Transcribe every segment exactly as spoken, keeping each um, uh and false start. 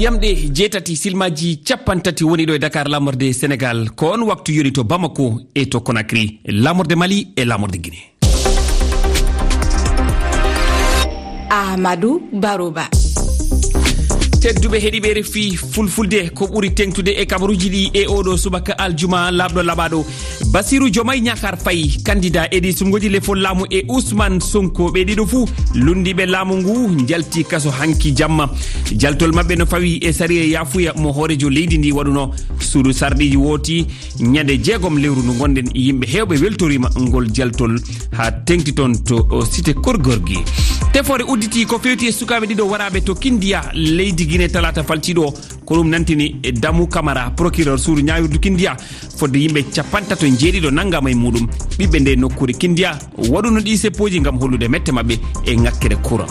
Yamɗe jeetati, silmaaji cappanɗe tati woni ɗo e Dakar, laamorde Senegaal. Ko on waktu yoni to Bamako e to Conakry, laamorde Mali e laamorde Guinée. Amadou Baroba. Tedduɓe heɗiiɓe R F I Fulfulde, ko ɓuri teŋtude e kabaruuji ɗi e oɗo subaka aljuma laaɓɗo laaɓaaɗo, Bassirou Diomaye Diakhar Faye, candidat e ɗi suɓngooji lefol laamu, e Ousmane Sonko, ɓe ɗiɗo fuu lunndiiɓe laamu ngu, njalti kaso hanki jamma. Jaltol maɓɓe no fawi e sariya yaafuya mo hooreejo leydi ndi waɗuno. Suudu sarɗiiji wooti ñande jeegom lewru ndu ngonɗen, yimɓe heewɓe weltoriima ngol jaltol haa teŋti toon to, o, Cité Keur Gorgui. Tefoore udditi ko feewti e sukaaɓe ɗiɗo waraaɓe to Kindiya, leydi Guinée, talaata faltiiɗo o. Ko ɗum nantini Damu Camara, procureur suudu ñaawirdu Kindiya, fodde yimɓe cappanɗe tato e jeeɗiɗo nanngaama e muuɗum. Ɓiɓɓe nde nokkuure Kindiya waɗuno ɗi seppooji ngam hollude mette maɓɓe e ŋakkere courant.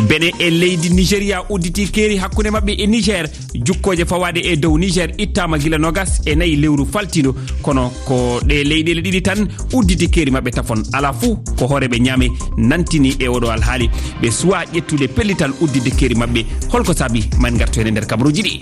Benin e leydi Nigeria udditi keeri hakkunde maɓɓe e Niger. Jukkooje fawaade e dow Niger ittaama gila noogas e nayi lewru faltiiɗo, kono ko ɗe leyɗeele ɗiɗi tan udditi keeri maɓɓe tafon. Alaa fuu ko hooreeɓe Niamey nantini e oɗo alhaali. Ɓe suwaa ƴettude pellital udditde keeri maɓɓe. Holko saabi? Ma en ngartu heen e nder kabaruuji ɗi.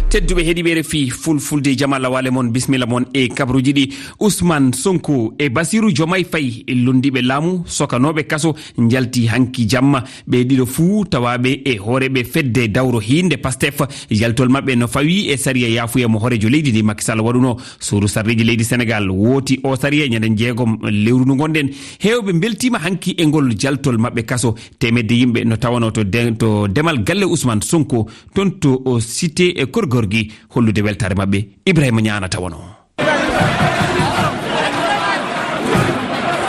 Tedduɓe heɗiiɓe R F I Fulfulde, jama lawaale mon, bismilla mon e kabaruuji ɗi. Ousmane Sonko e Bassirou Diomaye Faye, lunndiiɓe laamu, sokanooɓe kaso, njalti hanki jamma. Ɓe ɗiɗo fuu tawaaɓe e hooreeɓe fedde dawro hiinde Pastef. Jaltol maɓɓe no fawi e sariya yaafuya mo hooreejo leydi ndi Macky Sall waɗuno. Suudu sarɗiiji leydi Senegaal wooti o sariya ñande jeegom lewru ndu ngonɗen. Heewɓe mbeltiima hanki e ngol jaltol maɓɓe kaso. Teemedde yimɓe no tawano to de-, to demal galle Ousmane Sonko, toon to o Cité e Keur Gorgui, hollude weltaare maɓɓe. Ibrahima Niang tawano.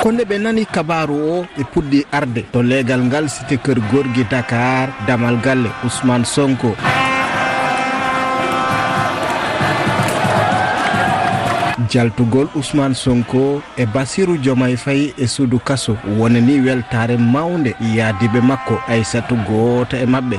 Ko nde ɓe nani kabaaru o, ɓe puɗɗi arde to leegal ngal Cité Keur Gorgui Dakar, damal galle Ousmane Sonko. Jaltugol Ousmane Sonko e Bassirou Diomaye Faye e suudu kaso wonani weltaare mawnde yaadiiɓe makko, Aissatou gooto e maɓɓe.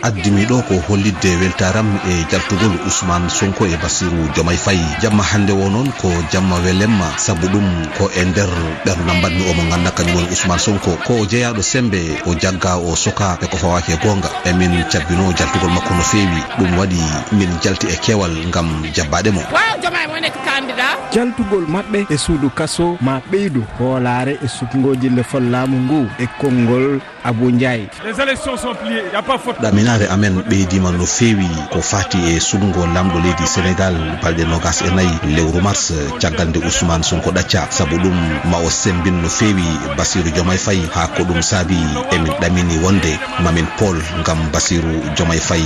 Addimi ɗo ko hollitde weltaaram e jaltugol Ousmane Sonko e Bassirou Diomaye Faye. Jamma hannde o noon ko jamma welemma, sabu ɗum ko e nder ɓernam mbaɗmi omo ngannda kañum woni Ousmane Sonko. Ko o jeyaaɗo semmbe, o jagga, o soka e ko fawaaki e goonga. Emin cabbinoo jaltugol makko no feewi. Ɗum waɗi min jalti e keewal ngam jabbaade mo. Waaw, Diomaye moo nekk candidat. Jaltugol maɓɓe e suudu kaso ma ɓeydu hoolaare e suɓngooji lefol laamu ngu e konngol Abou Ndiaye. Les élections sont pliées, y a pas faute. Ɗaminaare amen ɓeydiima no feewi ko faati e suɓngo laamɗo leydi Senegaal balɗe noogas e nayi lewru mars, caggal nde Ousmane Sonko ɗacca. Sabu ɗum, ma o semmbin no feewi Bassirou Diomaye Faye, haa ko ɗum saabi emin ɗamini wonde mamin pool ngam Bassirou Diomaye Faye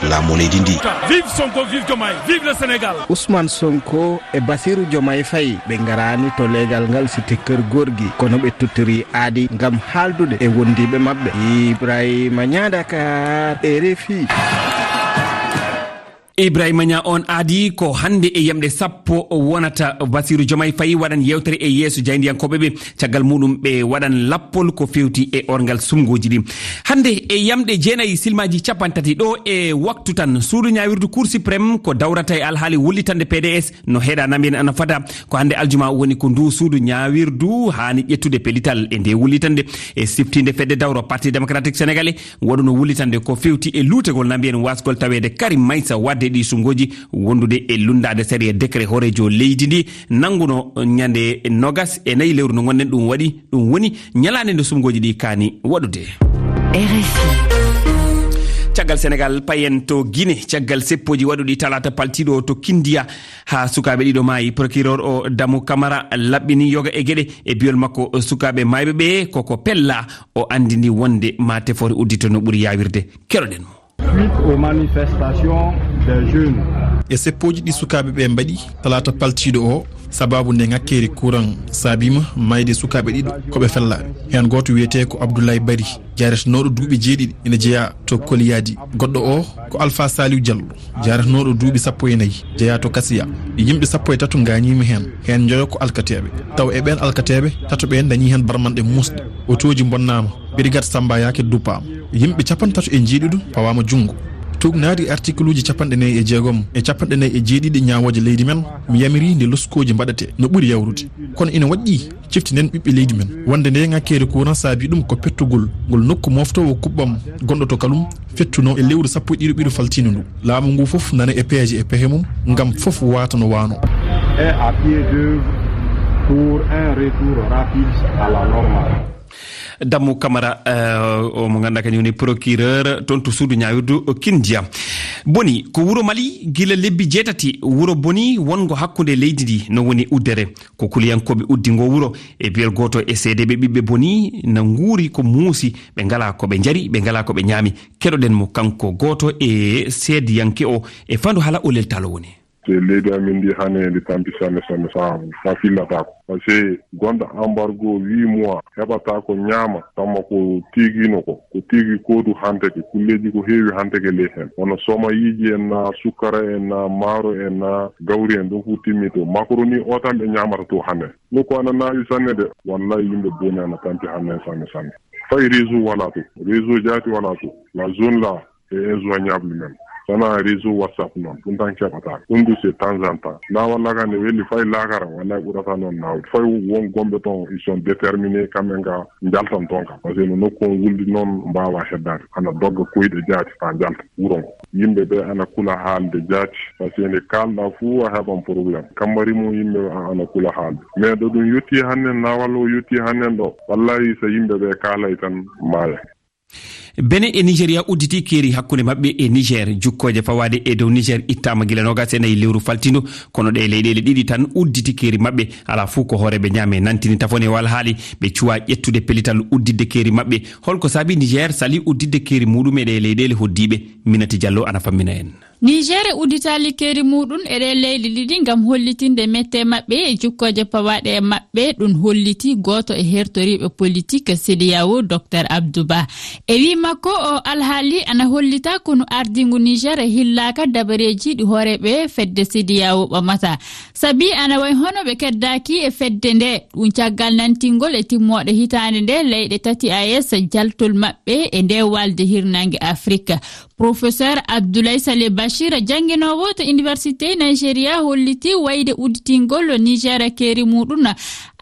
laamu leydi ndi. Vive Sonko, vive Diomaye, vive le Sénégal. Ousmane Sonko e Bassirou Diomaye Faye, ɓe ngaraani to leegal ngal Cité Keur Gorgui, kono ɓe tottori aadi ngam haaldude e wondiiɓe maɓɓe. Ibrahima Niang, Dakar, R F I. Ibrahima Niang, on aadi ko hannde e yamɗe sappo wonata Bassirou Diomaye Faye waɗan yeewtere e yeeso jaayndiyankooɓe ɓe. Caggal muɗum, ɓe waɗan lappol ko feewti e orngal suɓngooji ɗi. Hannde e yamɗe jeenayi, silmaaji cappanɗe tati ɗo e waktu tan, suudu ñaawirdu Cour suprême ko dawrata e alhaali wullitande P D S no heɗa na mbiyen ana fada. Ko hannde aljuma woni ko ndu suudu ñaawirdu haani ƴettude pellital e nde wullitande, e siftinde fedde dawro Parti Démocratique Sénégalais waɗuno wullitande ko feewti e luutagol na mbiyen wasgol taweede Karim Meïssa Wade e ɗi suɓngooji wondude e lunndaade sariya décret hooreejo leydi ndi nannguno ñande noogas e nayi lewru no ngonɗen. Ɗum waɗi, ɗum woni ñalaande nde suɓngooji ɗi kaani waɗude. R F I. Caggal Senegaal, payen to Guinée, caggal seppooji waɗuɗi talaata paltiiɗo o to Kindiya, haa sukaaɓe ɗiɗo maayi. Procureur o, Damu Camara, laɓɓini yoga e geɗe. E biyol makko, sukaaɓe maayɓe ɓe koko pella, o anndini wonde ma tefoore uddito no ɓuri yaawirde. Keɗoɗen mo. Suite aux manifestations des jeunes. E seppooji ɗi sukaaɓe ɓe mbaɗi talaata paltiiɗo o, sababu nde ŋakkeeri courant saabiima maayde sukaaɓe ɗiɗo ko ɓe fellaaɓe. Heen gooto wiyetee ko Abdoulaye Bari, jaaretenooɗo duuɓi jeeɗiɗi, ina jeyaa to Koliyadi. Goɗɗo o ko Alpha Saliou Diallo, jaaretenooɗo duuɓi sappo e nayi, jeyaa to Kasiya. Yimɓe sappo e tato ngaañiima heen, heen njoyo ko alkateeɓe. Taw e ɓeen alkateeɓe, tato ɓeen ndañii heen barmanɗe muusɗe. Otooji mbonnaama, Brigade Samba Yake duppaama. Yimɓe cappanɗe tato e njeeɗiɗo pawaama junngo. Tuugnaade artikuluuji capanɗe nayi e jeegom e capanɗe nayi e jeeɗiɗi ñaawooje leydi men, mi yamirii nde loskooji mbaɗate no ɓuri yawrude. Kono ina waɗɗii ciftinden ɓiɓɓe leydi men wonde nde ŋakkeere courant saabii ɗum ko pettugol ngol nokku mooftoowo kuɓɓam gonɗo to Kalum fettunoo e lewru sappo e ɗiɗi ɓiɗo faltiino ndu. Laamu ngu fof nana e peeje e pehe mum ngam fof waata no waano. Et à pied d'œuvre pour un retour rapide à la normale. Dammu Kamara, eh, o mo ngannduɗaa kañum woni procureur toon to suudu ñaawirdu Kindia. Boni ko wuro Mali gila lebbi jeetati, wuro Boni wonngo hakkunde leydi ndi no woni uddere. Ko kuliyankooɓe uddi ngo wuro e biyol gooto e seedeeɓe ɓiɓɓe Boni na nguuri ko muusi, ɓe ngalaa ko ɓe njari, ɓe ngalaa ko ɓe ñaami. Keɗoɗen mo kanko gooto e seediyanke o e fandu hala o leltaalo woni. Te leydi amin ndi hane ndi tampi sanne sanne, sa, sa fillataako. Parce que gonda embargo huit mois, heɓata ko ñaama, tamma ko tiigino ko, ko tiigi koodu hanteke, kulleeji ko heewi hanteke ley hen. Hono soma yiiji en na, sukkara en na, maaro en na, gawri en, ɗum fof timmi to. Macaroni o tan ɓe ñaamata to hannde. Nokku ana naawi sanne de, wallahi yimɓe Boni ana tampi hannde sanne sanne. Fay réseau wala to, réseau jaati wala to. La zone là, est injoignable même. Sana réseau WhatsApp noon, ɗum tan keɓata. Ɗum du c'est temps en temps. Na walla kan ne weli fay laakara, walla ɓurata noon nawde. Fay won gomɓe toon, ils sont déterminés, kamɓe nga njaltan toon ka. Parce que no nokku on wuldi noon, mbaawa heddaade. Ana dogga koyɗe jaati faa njalta wuro ngo. Yimɓe ɓe ana kula haalde jaati. Parce que nde kaalɗa fuu a heɓan problème. Kammari mum yimɓe ana kula haalde. Mais ɗo ɗum yotti hannden, na walla o yotti hannden ɗo. Wallahi so yimɓe ɓe kaalay tan maaya. Bene e Nigeria udditi keeri hakkunde maɓɓe e Niger. Jukkooje fawaade e dow Niger ittaama gila noogas e nayi lewru faltindo, kono ɗe leyɗeele ɗiɗi tan udditi keeri maɓɓe. Alaa fuu ko hooreeɓe Niamey nantini tafone o alhaali, ɓe cuwaa ƴettude pellital udditde keeri maɓɓe. Holko saabi Niger sali udditde keeri muuɗum e ɗe leyɗeele hoddiiɓe? Minati Diallo ana fammina en. Niger udditaali keeri muuɗum e ɗee leyɗe ɗiɗi ngam hollitinde mette maɓɓe e jukkooje pawaaɗe e maɓɓe. Ɗum holliti gooto e hertoriiɓe politik CEDEAO, Docteur Abdou Ba. E wii makko, o alhaali ana hollita konu ardingu Niger e hillaaka dabareeji ɗi hooreeɓe fedde CEDEAO ɓamata. Sabi ana wayi hono ɓe keddaaki e fedde nde. Ɗum caggal nantingol e timmooɗe hitaande nde leyɗe tati A E S jaltol maɓɓe e nde walde hirnaange Afrik. Professeur Abdoulaye Saleh Bachir, jannginoowo to Université Nigeria, holliti wayde udditingol Niger keeri muuɗum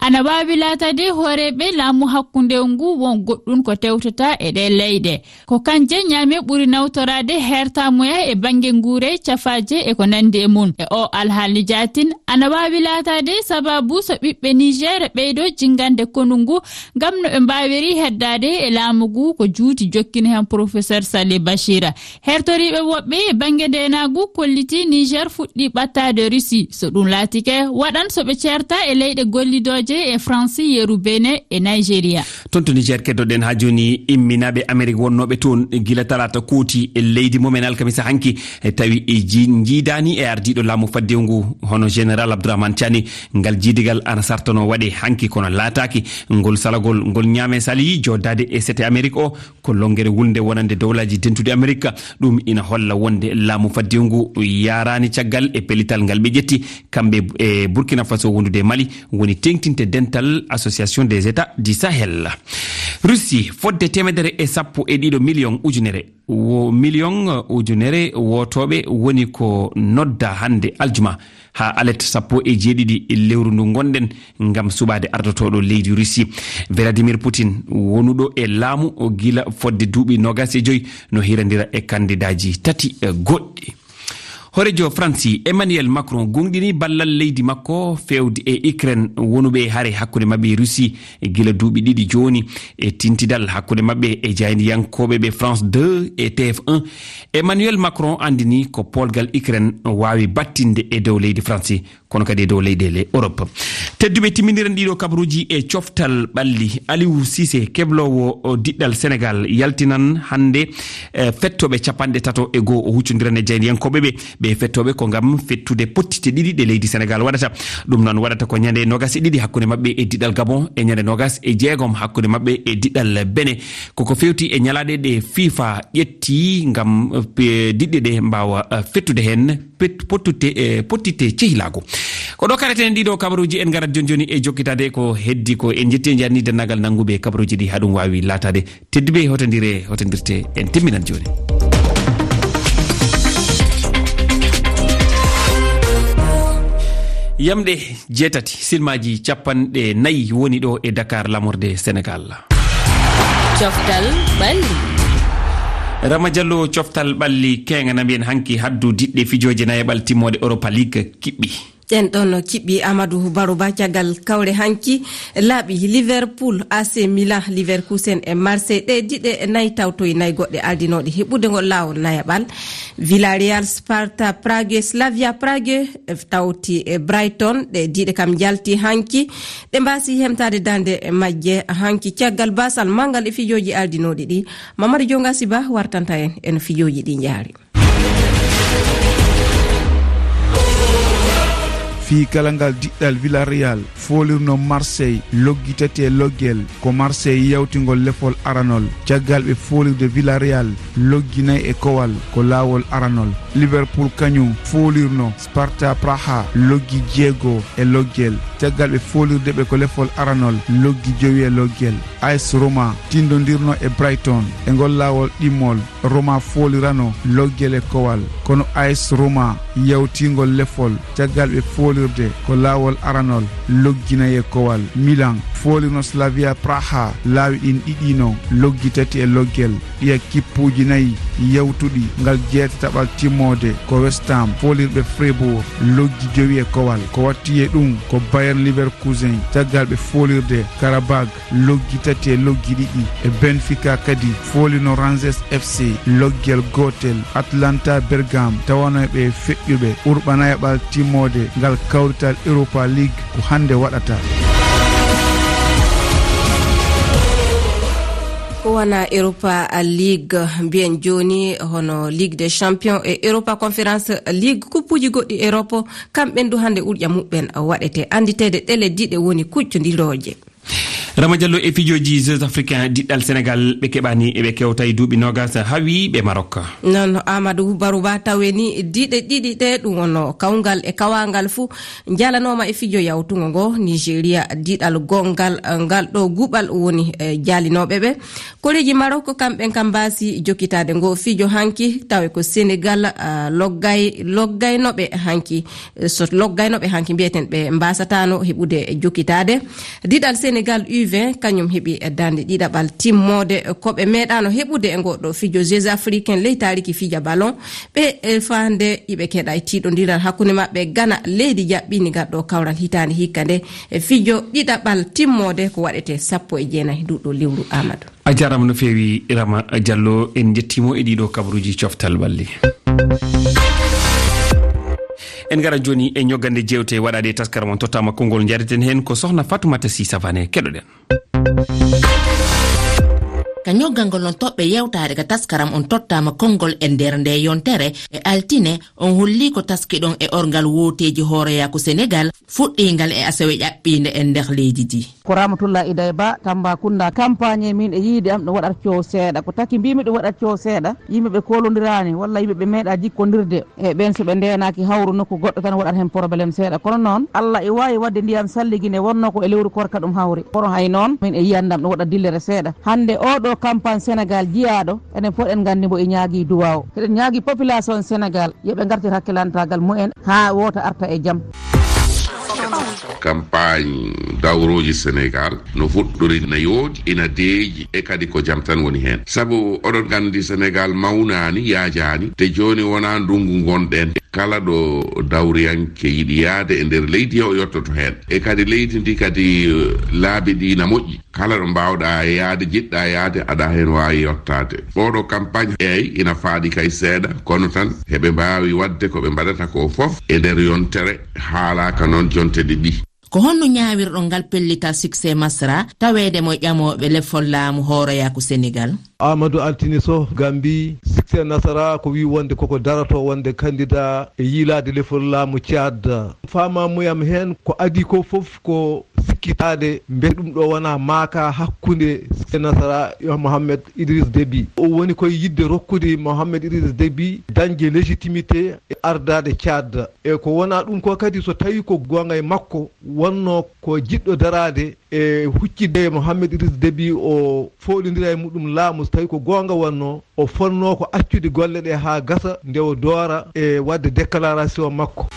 ana waawi laataade hooreeɓe laamu hakkunde ngu won goɗɗum ko tewtata e ɗee leyɗe. Ko kanje Niamey ɓuri nawtoraade heertaamuya e bannge nguure, cafaaje e ko nanndi e mum. E o alhaali jaatin, ana waawi laataade sababu so ɓiɓɓe Niger ɓeydo jinngande konu ngu ngam no ɓe mbaawiri heddaade e laamu ngu ko juuti, jokkini heen Professeur Saleh Bachir. Hertoriiɓe woɓɓe e bannge ndeenaagu kolliti Niger fuɗɗi ɓattaade Russie. So ɗum laatike, waɗan so ɓe ceerta e leyɗe gollidooje e France, yeru Benin e Nigeria. Toon to Niger keddoɗen haa jooni, imminaaɓe Amerik wonnooɓe toon gila talaata kooti e leydi mumen alkamisa hanki, e tawi e ji-, njiidaani e ardiiɗo laamu faddewu ngu, hono Général Abdourahmane Tiani. Ngal jiidigal ana sartanoo waɗe hanki, kono laataaki. Ngol salagol ngol Niamey sali jooɗdaade e sete Amerik o, ko lonngere wulnde wonande Dowlaaji Dentuɗi Amerik. Ɗum ina holla wonde laamu faddewu ngu yaaraani caggal e pellital ngal ɓe ƴetti, kamɓe e Burkina Faso wondude e Mali, woni teeŋtinde dental Association des États du Sahel. Russie, fodde teemedere e sappo e ɗiɗo miliyoŋ ujunere, wo-, miliyoŋ ujunere wootooɓe woni ko nodda hannde aljuma haa alet sappo e jeeɗiɗi lewru ndu ngonɗen ngam suɓaade ardotooɗo leydi Russie. Vladimir Putin, wonuɗo e laamu o gila fodde duuɓi noogas e joy, no hirandira e kandidaaji tati, eh, goɗɗi. Hooreejo Faransi, Emmanuel Macron, goongɗini ballal leydi makko feewde e Ukraine, wonuɓe e hare hakkunde maɓɓe e Russie gila duuɓi ɗiɗi jooni, e tintidal hakkunde maɓɓe e jaayndiyankooɓe ɓe France deux e T F un. Emmanuel Macron anndini ko poolgal Ukraine waawi battinde e dow leydi Faransi, kono kadi e dow leyɗeele Europe. Tedduɓe, timmindiren ɗiɗo kabaruuji e coftal ɓalli. Aliou Cissé, kebloowo o diɗɗal Senegal, yaltinan hannde, eh, fettooɓe capanɗe tato e goo. O huccondiran e jaayndiyankooɓe ɓe. Ɓe fettooɓe ko ngam fettude pottite ɗiɗi ɗe leydi Senegal waɗata. Ɗum noon waɗata ko ñande noogas e ɗiɗi hakkunde maɓɓe e diɗɗal Gabon, e ñande noogas e jeegom hakkunde maɓɓe e diɗɗal Benin. Koko feewti e ñalaaɗe ɗe FIFA ƴetti ngam, eh, diɗɗe ɗe mbaawa, eh, fettude heen pet-, pottute, eh, pottite cehilaagu. Ko ɗo kareten ɗiɗo kabaruuji, en ngarat jooni jooni e jokkitaade ko heddi ko. En njetti e njarni denndaangal nannguɓe kabaruuji ɗi haa ɗum waawi laataade. Tedduɓe, hotondire, hotondirte, en timminan jooni. Yamɗe jeetati, silmaaji capanɗe nayi woni ɗo e Dakar, lamorde Senegal. Coftal ɓalli. Rama Diallo, coftal ɓalli keŋa na mbiyen hanki haddu diɗɗe fijooje nayaɓal timmode Europa League kiɓɓi. Ɗen ɗon kiɓɓi Amadou Barouba caggal kawre hanki laaɓi Liverpool, A C Milan, Leverkusen e Marseille. Ɗe diɗe nayi tawtoyi nayi goɗɗe ardinooɗe heɓude ngol laawol nayaɓal. Villarreal, Sparta Prague, Slavia Prague, tawti e Brighton. Ɗe diɗe kam njalti hanki. Ɗe mbaasi hemtaade daande majje hanki caggal baasal manngal e fijooji ardinooɗi ɗi. Mamadou Dionga Siba wartanta en e no fijooji ɗi njaari. Fii kala ngal diɗɗal Villarreal foolirno Marseille loggi tati e loggel, ko Marseille yawtingol lefol aranol. Caggal ɓe foolirde Villarreal loggi nayi e kowal, ko laawol aranol. Liverpool kañum foolirno Sparta Praha loggi jeego e loggel. Caggal ɓe foolirde ɓe ko lefol aranol loggi jowi e loggel. A S Roma tindondirno e Brighton e ngol laawol ɗimmol. Roma foolirano loggel e kowal, kono A S Roma yawtingol lefol caggal ɓe foolirde ko laawol aranol loggi nayi e kowal. Milan foolirno Slavia Praha laawi ɗin ɗiɗi no loggi tati e loggel. Ɗiya kippuuji nayi yawtuɗi ngal jeetataɓal timmoode ko West Ham foolirɓe Freiburg loggi jowi e kowal. Ko watti e ɗum ko Bayern Leverkusen caggal ɓe foolirde Karabag loggi tati e loggi ɗiɗi. E Benfica kadi foolino Rangers F C loggel gootel. Atlanta Bergame tawanoyɓe e feƴƴuɓe urɓanaya ɓal timmoode ngal kawrital Europa League ko hannde waɗata. Ko wona Europa League mbiyen jooni, hono Ligue des Champions e Europa Conference League, kuppuuji goɗɗi Europe, kamɓen du hannde urƴa muɓɓen waɗete annditeede ɗele diɗe woni kuccondirooje. Rama Diallo, e fijooji Jeux Africains diɗɗal Sénégal ɓe keɓani eɓe kewta e duuɓi noogas hawi ɓe Maroc. Noon Amadou Barouba tawe ni diɗe ɗiɗi ɗe ɗum wonno kawngal e kawangal fuu njalanooma e fijo yawtungo ngo Nigeria diɗal gongal ngal ɗo guɓal woni e jalinooɓe ɓe. Koreeji Maroc kamɓen kam mbaasi jokkitaade ngo fijo hanki tawe ko Sénégal, ah, loggay, loggaynoɓe hanki. So loggaynoɓe hanki mbiyeten ɓe mbasatano heɓude jokkitaade. Diɗal Sénégal U vingt kañum heɓi darnde ɗiɗaɓal timmoode ko ɓe meeɗano heɓude e ngoɗo fijo Jeux Africains ley taariki fija ballon. Ɓe, e, faande iɓe keɗa e tiiɗondiral hakkunde maɓɓe Ghana, leydi jaɓɓini ngal ɗo kawral hitaande hikka nde, e fijo ɗiɗaɓal timmoode ko waɗete sappo e jeenayi nduɗo lewru Amadou. A jaaraama no feewi, Rama Diallo. En njettiimo e ɗiɗo kabaruuji coftal ɓalli. En ngara jooni e ñoggande jeewte waɗaade e taskaram on tottaama konngol, njareten heen ko Sohna Fatoumata Sy Savané. Keɗoɗen. Ka ñoggangol on toɓɓe yewtaade ka taskaram on tottaama konngol e nder nde yontere e altine, on holli ko taskiɗon e orngal wooteeji hooreyaaku Senegal fuɗɗiingal e asewe ƴaɓɓiinde e nder leydi ndi. Ko Ramatoulaye Idaye Ba, Tambacounda. Campagne min e yiide am ɗum waɗat coow seeɗa. Ko taki mbimi ɗum waɗat coow seeɗa, yimɓe ɓe kolondirani walla yimɓe ɓe meeɗa jikkondirde. E ɓen so ɓe ndeenaki hawru nokku goɗɗo tan waɗat hen problème seeɗa. Kono noon, Allah e waawi waɗde ndiyam salligine wonno ko e lewru korka ɗum hawri. Kono hay noon, min e yiyande am ɗum waɗat dillere seeɗa. Hannde oo ɗoo campagne Senegal jiyaaɗo, enen fof eɗen nganndi mbo e ñaagii duwaaw. Eɗen ñaagii population Senegal, yo ɓe ngartir hakkilantaagal mumen haa woota arta e jam. Campagne dawrooji Senegal no fuɗɗori, ina yooɗi, ina deeƴi, e kadi ko jam tan woni heen. Sabu oɗon nganndi Senegal mawnaani, yaajaani, te jooni wonaa ndunngu ngonɗen. Kala ɗo dawriyanke yiɗi yahde e nder leydi, o yottoto heen. E kadi leydi ndi kadi, eh, laabi ɗi na moƴƴi. Kala ɗo mbaawɗaa yahde, jiɗɗaa yahde, aɗa heen waawi yottaade. Oɗo campagne, eey, ina faaɗi kay seeɗa, kono tan heɓe mbaawi waɗde ko ɓe mbaɗata ko fof e nder yontere, haalaaka noon jonte ɗiɗi. Ko honno ñaawirɗon ngal pellital Succès Masra, taweede mo ƴamooɓe lefol laamu hooreyaaku Senegal? Amadou Altine Soh, Gambie. Succès Nasara ko wi wonde koko daroto wonde candidat e yiilaade lefol laamu Tchad. Faamamuyam heen ko adii ko fof ko sikkitaade mbete ɗum ɗo wonaa maaka hakkunde Succès Nasara e Mohamed Idriss Déby. O woni koye yiɗde rokkude Mohamed Idriss Déby dañde légitimité e ardaade Tchad. E ko wonaa ɗum ko kadi, so tawii ko goonga e makko, wonnoo ko jiɗɗo daraade e huccitde Mohamed Idriss Déby, o fooɗondira e muɗum laamu, so tawii ko goonga wonnoo, o fotnoo ko accude golle ɗe haa gasa nde o doora e waɗde déclaration makko.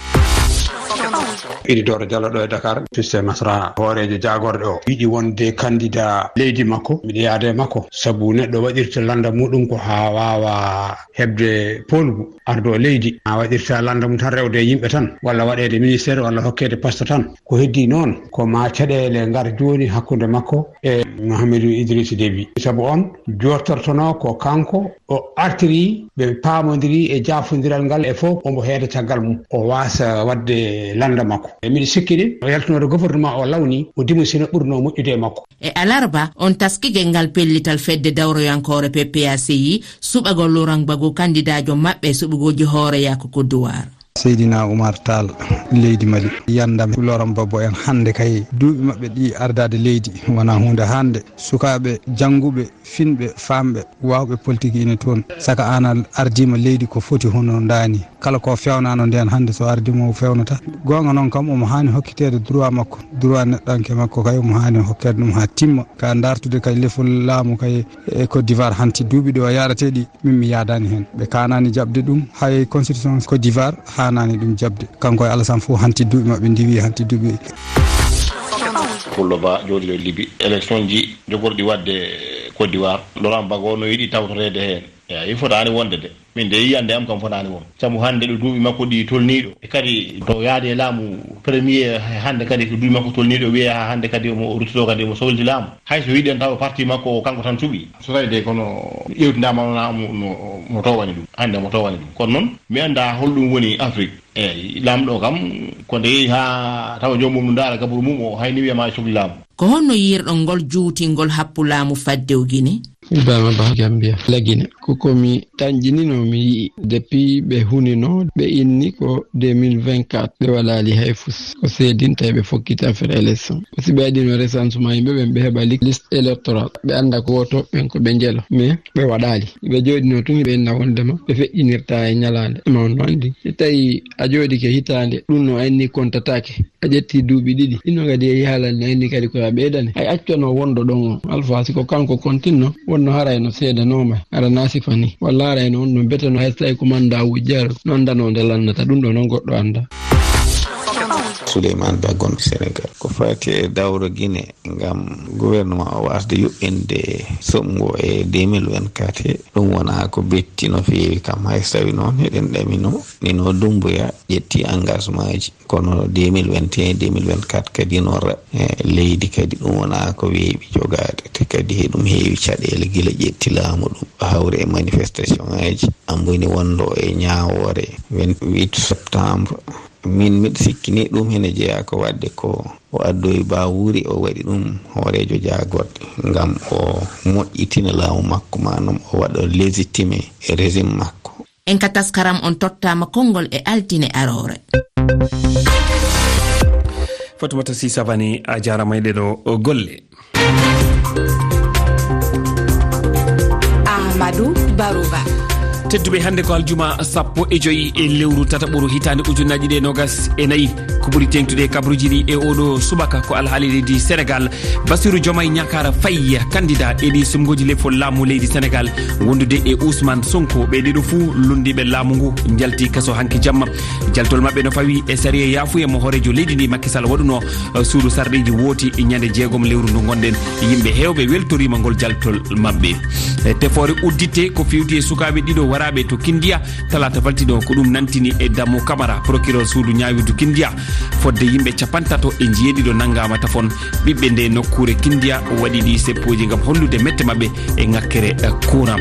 Idi Doro Diallo ɗo e Dakar, Piste Masra, hooreejo jaagorɗe o, yiɗi wonde kandida leydi makko, miɗo yaada e makko, sabu neɗɗo waɗirta lannda muɗum ko haa waawa heɓde poolgu, ardo leydi. A waɗirta lannda mum tan rewde e yimɓe tan, walla waɗeede ministére, walla hokkeede poste tan. Ko heddi noon, ko ma caɗeele ngar jooni hakkunde makko e Mouhamadou Idriss Déby. Sabu on jooɗtortono ko kanko o artiri, ɓe paamondiri e jaafondiral ngal e fof, omo heeda caggal mum, o waasa waɗde lannda makko. E miɗo sikki de, o yaltinoode gouvernement o lawni, o dimusina ɓurno moƴƴude e makko. E alarba, on taski genngal pellital fedde dawroyankoore P P A C I, suɓagol Laurent Gbagbo kandidaajo maɓɓe e suɓugooji hooreeyaku Côte d'Ivoire. Seydina Oumar Tall, leydi Mali, yandam Laurent Gbagbo en hannde kay duuɓi maɓɓe ɗi ardaade leydi wonaa huunde hannde. Sukaaɓe jannguɓe, finɓe, faamɓe, waawɓe politique ina toon. Saka aan a ardiima leydi ko foti hono ndaani. Kala ko feewnaano ndeen hannde so ardii mo o feewnata. Goonga noon kam omo haani hokkiteede droit makko, droit neɗɗanke makko kay omo haani hokkeede ɗum haa timma. Ka dartude kay lefol laamu kay e Côte d'Ivoire hanti duuɓi ɗo yaarate ɗi, min mi yaadaani heen. Ɓe kaanaani jaɓde ɗum, hay constitution Côte d'Ivoire haanaani ɗum jaɓde. Kanko e Alassane fof hanti duuɓi maɓɓe ndiwi hanti duuɓi. Pullo Ba jooɗiiɗo Libi, élection ji jogorɗi waɗde Côte d'Ivoire, Laurent Gbagbo no yiɗi tawtoreede heen. Eeyi, fotaani wonde de. Min de yiyannde am kam fotaani won. Sabu hannde ɗo duuɓi makko ɗi tolniiɗo. E kadi to yaade e laamu premier hannde kadi ko duuɓi makko tolniiɗo wiye haa hannde kadi omo rutto kadi omo sohliti laamu. Hay so yiɗen taw parti makko o kanko tan suɓi. So tawi de kono ƴeewtindaama wona mo, mo, mo towani ɗum. Hannde mo towani ɗum. Kono noon mi anndaa holɗum woni Afrique. Eeyi, laamɗo kam ko nde yehi haa tawa joomum no ndaara gaburu mum o hay ni wiyama e sokli laamu. Ko honno yiirɗon ngol juutingol happu laamu faddew Gine? Ibrahima Ba Gambia, Lagine. Ko ko mi tanƴinino mi yi'i depuis ɓe hunino ɓe inni ko deux mille vingt-quatre ɓe walaali hay fus. Ko seedinta ɓe fokkiti affaire élection. Ko si ɓe waɗino recensement yimɓe ɓen ɓe heɓa li-, liste électorale. Ɓe annda ko woto ɓen ko ɓe njelo. Mais ɓe waɗaali. Ɓe jooɗino tun ɓe inna wondema ɓe feƴƴinirta e ñalaande. Ma on no anndi. Si tawi a jooɗike hitaande, ɗum no anni kontataake. A ƴetti duuɓi ɗiɗi. Ɗino kadi e yaalal ne anni kadi ko a ɓeydane. Hay accano wonɗo ɗon on. Alfa si ko kanko kontinno, wonno haray no seedanooma. Ara na sifa ni. Walla haray no on no betano hay so tawi ko manda wujjaro. No anndano nde lannata. Ɗum ɗo noon goɗɗo annda. Souleymane Ba gonɗo Sénégal. Ko fati e dawro Gine ngam gouvernement o wasde yuɓɓinde soɓngo e deux mille vingt-quatre he, ɗum wona ko betti no feewi kam, hay so tawi noon eɗen ɗamino, nino Dumbuya ƴetti engagement ji, kono deux mille vingt et un, deux mille vingt-quatre kadi no ra-, e leydi kadi ɗum wona ko weeɓi jogaade, te kadi eɗum heewi caɗeele gila ƴetti laamu ɗum, hawri e manifestation ngaji, amboni wonɗo e ñaawoore vingt-huit septembre. Min miɗo sikki ni ɗum hene jeyaa ko waɗde ko o addoyi Bawuri, o waɗi ɗum hooreejo jaagorɗe ngam o moƴƴitina laamu makko, maanaam o waɗa légitimer régime makko. En ka taskaram on tottaama konngol e altine aroore. Fatumata Si Savani, a jaaraama e ɗeɗo golle. Amadou Barouba. Tedduɓe, hannde ko aljuma sappo e joyi e lewru tataɓuru hitaande ujunnaji ɗiɗi e nogas e nayi. Ko ɓuri teeŋtude e kabaruuji ɗi e oɗo subaka ko alhaali leydi Senegal. Bassirou Diomaye Niakhar Faye, candidat e ɗi sumngoji lefol laamu leydi Senegal, wondude e Ousmane Sonko. Ɓe ɗiɗo fuu lunndiiɓe laamu ngu njalti kaso hanki jamma. Jaltol maɓɓe no fawi e sariya yaafuya mo hooreejo leydi ndi Macky Sall waɗuno, eh, suudu sarɗiiji wooti ñande jeegom lewru ndu ngonɗen. Yimɓe heewɓe weltoriima ngol jaltol maɓɓe. E tefoore uddite ko fewti e sukaaɓe ɗiɗo waraaɓe to Kindiya talaata faltiɗo, ko ɗum nantini e Damo Camara, procureur suudu ñaawirdu Kindiya, fodde yimɓe capantato e njeeɗiɗo nanngaama tafon. Ɓiɓɓe nde nokkuure Kindiya waɗi ɗi seppooji ngam hollude mette maɓɓe e ŋakkere, eh, courant.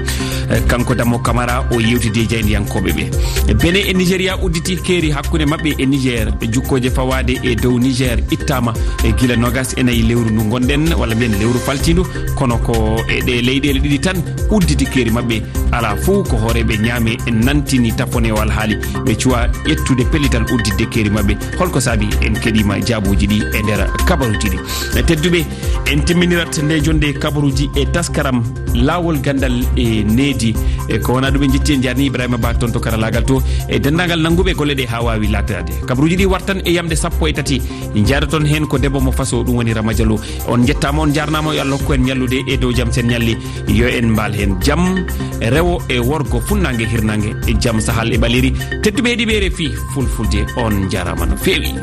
Eh, kanko Damo Camara o yewtidi e jaayndiyankooɓe ɓe. Benin e Nigeria udditi keeri hakkunde maɓɓe e Niger. Jukkooje fawaade e dow Niger ittaama e gila nogas e nayi lewru ndu ngonɗen, walla mbiyen lewru faltiindu, kono ko e ɗe leyɗeele ɗiɗi tan udditi keeri maɓɓe. Alaa fof ko hooreeɓe ñaame nantini tappone o alhaali. Ɓe cuwa ƴettude pellital udditde keeri maɓɓe. Holko saabi? En keɗiima jaabuuji ɗi e nder kabaruuji ɗi. Tedduɓe, en timminirat nde jonnde kabaruuji e taskaram Laawol Ganndal e Needi. E ko wonaa ɗum, en njetti, en njaarni Ibrahima Ba toon to karalaagal to e denndaangal nannguɓe golle ɗe haa waawi laataade. Kabaruuji ɗi wartan e yamde sappo e tati. Njaadoton heen ko debbo mo Faso, ɗum woni Rama Diallo. On njettaama, on njaarnaama, yo Allah hokku en ñallude e dow jam, sen ñalli yo en mbaal heen jam, rewo e worgo, funnaange, hirnaange, e jam, sahal e ɓaleeri. Tedduɓe heɗiiɓe R F I Fulfulde, on njaaraama no feewi.